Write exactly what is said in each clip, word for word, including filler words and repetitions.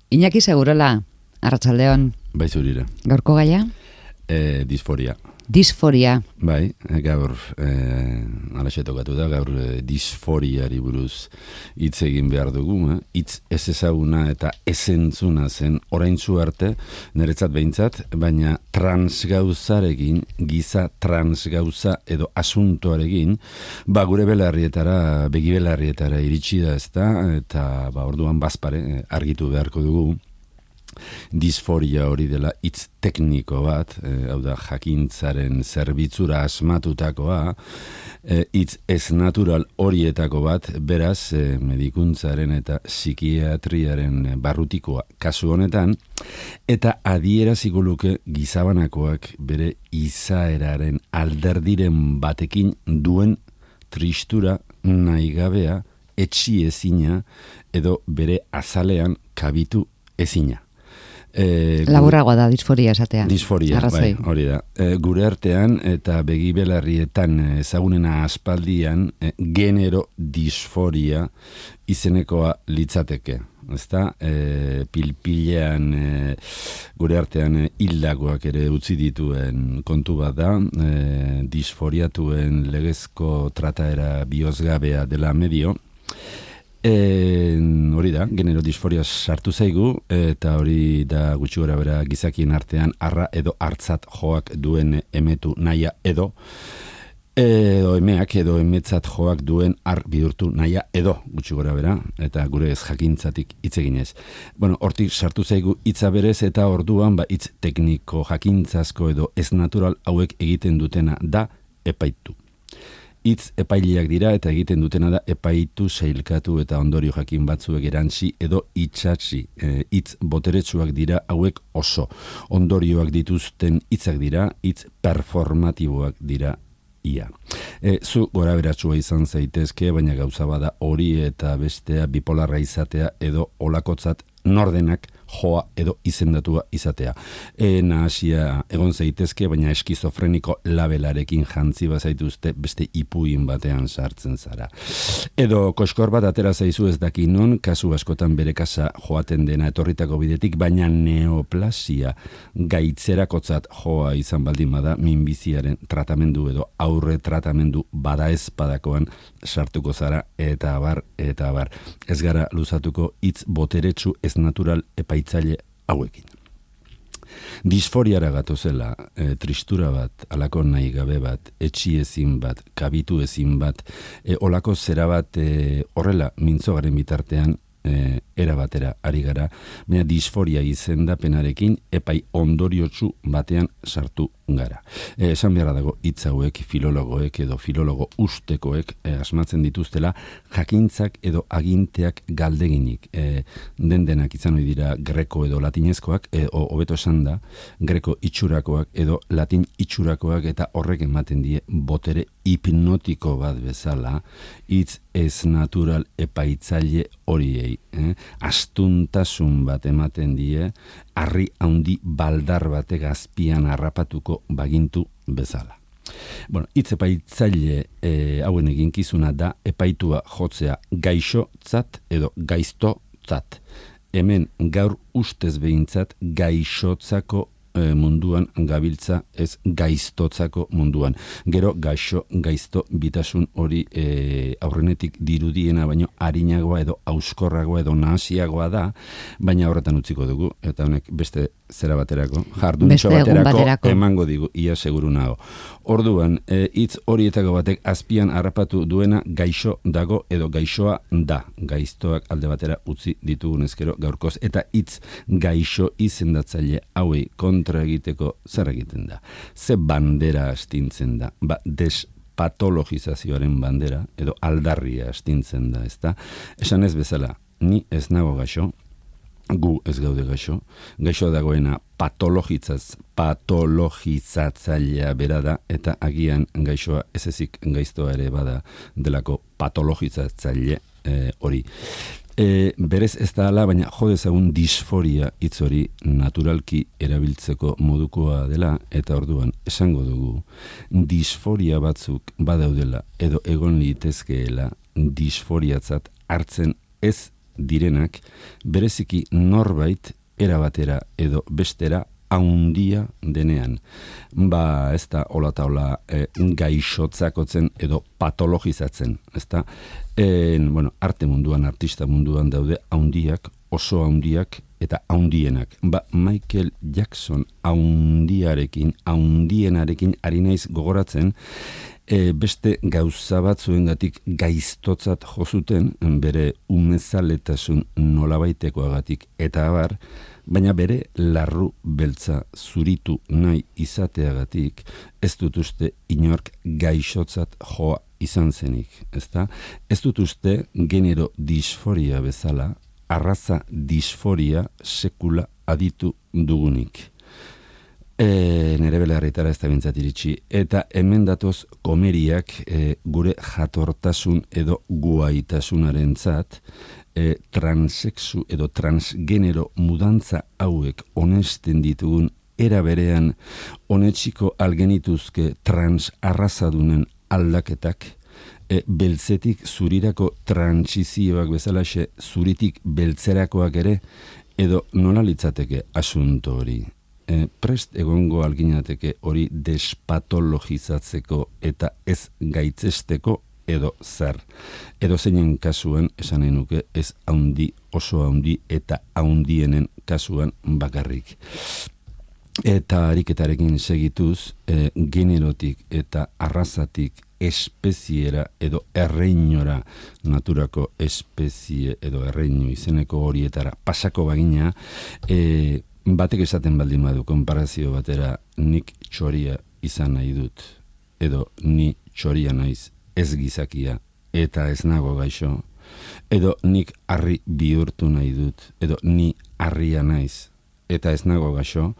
Iñaki Segurola, arratsaldeon. Bai zurire. Gaurko gaia? E, disforia. Disforia. Bai, gaur e, alaxe tokatu da, gaur e, disforiari buruz hitz egin behar dugu, eh? Hitz ez ezaguna eta ezentzuna zen oraintzu arte, niretzat behintzat, baina transgauzarekin, giza transgauza edo asuntoarekin, ba gure belarrietara, begi belarrietara iritsi da ezta, eta ba orduan bazpare argitu beharko dugu. Disforia hori dela hitz tekniko bat, e, hau da jakintzaren zerbitzura asmatutakoa, e, hitz ez natural horietako bat, beraz e, medikuntzaren eta psikiatriaren barrutikoa kasu honetan, eta adieraziko luke gizabanakoak bere izaeraren alderdiren batekin duen tristura nahigabea, etxi ezina edo bere azalean kabitu ezina. E, Laburragoa da disforia esatea. Disforia, bai, hori da. E, gure artean eta begi belarrietan ezagunena aspaldian e, genero disforia izenekoa litzateke. Ezta? E, pilpilean e, gure artean e, hildakoak ere utzi dituen kontu bat da, e, disforiatuen legezko trataera bihozgabea dela medio. E, hori da, genero disforia sartu zaigu, eta hori da gutxi gora bera gizakien artean arra edo hartzat joak duen emetu naia edo edo emeak edo emetzat joak duen ar bihurtu naia edo gutxi gora bera, eta gure ez jakintzatik hitz eginez. Bueno, hortik sartu zaigu hitza berez eta orduan ba hitz tekniko jakintzazko edo ez natural hauek egiten dutena da epaitu. Hitz epaileak dira eta egiten dutena da epaitu, sailkatu eta ondorio jakin batzuek erantzi edo itxatzi. Hitz e, boteretsuak dira hauek oso. Ondorioak dituzten hitzak dira, hitz performatiboak dira ia. E, zu gora beratsua izan zaitezke, baina gauza bada hori eta bestea bipolarra izatea edo olakotzat nordenak joa edo izendatua izatea. E, nahasia egon zaitezke, baina eskizofreniko labelarekin jantzi bazaituzte beste ipuin batean sartzen zara. Edo koskor bat atera zaizu ez daki non, kasu askotan bere kasa joaten dena etorritako bidetik, baina neoplasia gaitzerakotzat joa izan baldin bada minbiziaren tratamendu edo aurre tratamendu bada ez badakoan sartuko zara eta abar, eta abar. Ez gara luzatuko hitz boteretsu ez natural epaitzaile hauekin. Disforiara gatozela, e, tristura bat, alako nahi gabe bat, etxi ezin bat, kabitu ezin bat, e, olako zera bat e, horrela mintzogaren bitartean e, era batera ari gara, baina disforia izendapenarekin epai ondoriotsu batean sartu gara. E, esan beharra dago hitz hauek filologoek edo filologo ustekoek e, asmatzen dituztela jakintzak edo aginteak galdeginik. E, den denak izan hori dira greko edo latinezkoak, e, o, hobeto esan da, greko itxurakoak edo latin itxurakoak eta horrek ematen die botere hipnotiko bat bezala, hitz ez natural epaitzaile horiei. Eh? Astuntasun bat ematen die, harri handi baldar batek azpian harrapatuko bagintu bezala. Bueno, hitz epaitzaile e, hauen eginkizuna da epaitua jotzea gaixotzat edo gaiztotzat. Hemen gaur ustez behintzat gaixotzako e, munduan gabiltza, ez gaiztotzako munduan. Gero gaixo, gaizto, bitasun hori e, aurrenetik dirudiena, baino harinagoa edo auskorragoa edo nahasiagoa da, baina horretan utziko dugu, eta honek beste zera baterako, jarduntxo baterako, baterako emango digu, ia seguru nago. Orduan, hitz e, horietako batek azpian harrapatu duena gaixo dago edo gaixoa da. Gaiztoak alde batera utzi ditugun ezkero gaurkoz, eta hitz gaixo izendatzaile hauei kontra egiteko zer egiten da. Ze bandera astintzen da, ba, despatologizazioaren bandera edo aldarria astintzen da, ezta? Esan ez bezala, ni ez nago gaixo, gu ez gaude gaixo, gaixo dagoena patologizaz, patologizatzailea bera da, eta agian gaixoa ez ezik gaiztoa ere bada delako patologizatzaile e, hori. E, berez ez da ala, baina jodezagun disforia hitz hori naturalki erabiltzeko modukoa dela, eta orduan esango dugu disforia batzuk badaudela edo egon litezkeela disforiatzat hartzen ez direnak, bereziki norbait erabatera edo bestera haundia denean. Ba, ez da, hola eta hola, e, gaixotzakotzen edo patologizatzen, ez da? E, bueno, arte munduan, artista munduan daude haundiak, oso haundiak eta haundienak. Ba, Michael Jackson haundiarekin, haundienarekin ari naiz gogoratzen, e, beste gauza batzuengatik gaiztotzat jozuten, bere umezaletasun nolabaitekoagatik eta abar, baina bere larru beltza zuritu nahi izateagatik ez dut uste inork gaixotzat joa izan zenik, ezta? Ez dut uste genero disforia bezala, arraza disforia sekula aditu dugunik. E, nere belarritara ez da bintzat iritsi, eta hemen datoz komeriak e, gure jatortasun edo guaitasunaren zat, e, transexu edo transgenero mudantza hauek onesten ditugun era berean onetsiko algenituzke transarrazadunen aldaketak, e, beltzetik zurirako transizioak bezalaxe zuritik beltzerakoak ere, edo nola litzateke asunto hori. E, prest egongo alginateke hori despatologizatzeko eta ez gaitzesteko edo zer. Edo zeinen kasuan esan nahi nuke ez haundi, oso haundi eta haundienen kasuan bakarrik. Eta ariketarekin segituz, e, generotik eta arrazatik espeziera edo erreinora, naturako espezie edo erreinu izeneko horietara pasako bagina, e, batek esaten baldin badu konparazio batera nik txoria izan nahi dut, edo ni txoria naiz ez gizakia eta ez nago gaixo, edo nik harri bihurtu nahi dut, edo ni harria naiz eta ez nago gaixo,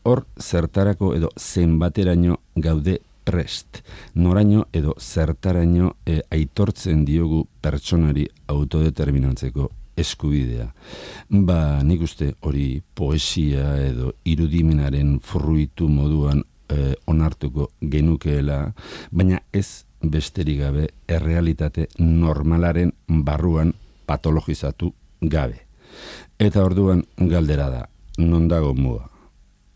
hor zertarako edo zenbateraino gaude prest, noraino edo zertaraino e, aitortzen diogu pertsonari autodeterminatzeko eskubidea. Ba, nik uste hori poesia edo irudimenaren fruitu moduan e, onartuko genukeela, baina ez besterik gabe errealitate normalaren barruan patologizatu gabe. Eta orduan galdera da, non dago muga?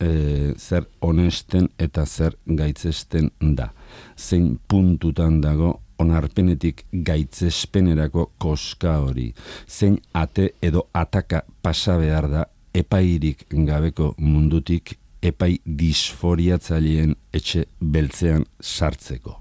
E, zer honesten eta zer gaitzesten da. Zein puntutan dago onarpenetik gaitzespenerako koska hori. Zein ate edo ataka pasa behar da epairik gabeko mundutik epai disforiatzaileen etxe beltzean sartzeko.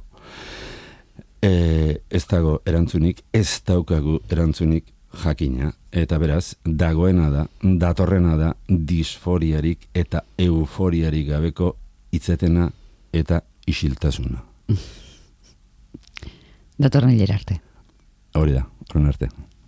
E, ez dago erantzunik, ez daukagu erantzunik jakina, eta beraz, dagoena da, datorrena da, disforiarik eta euforiarik gabeko hitzetena eta isiltasuna. Datorren hilera arte. Hori da, horren arte.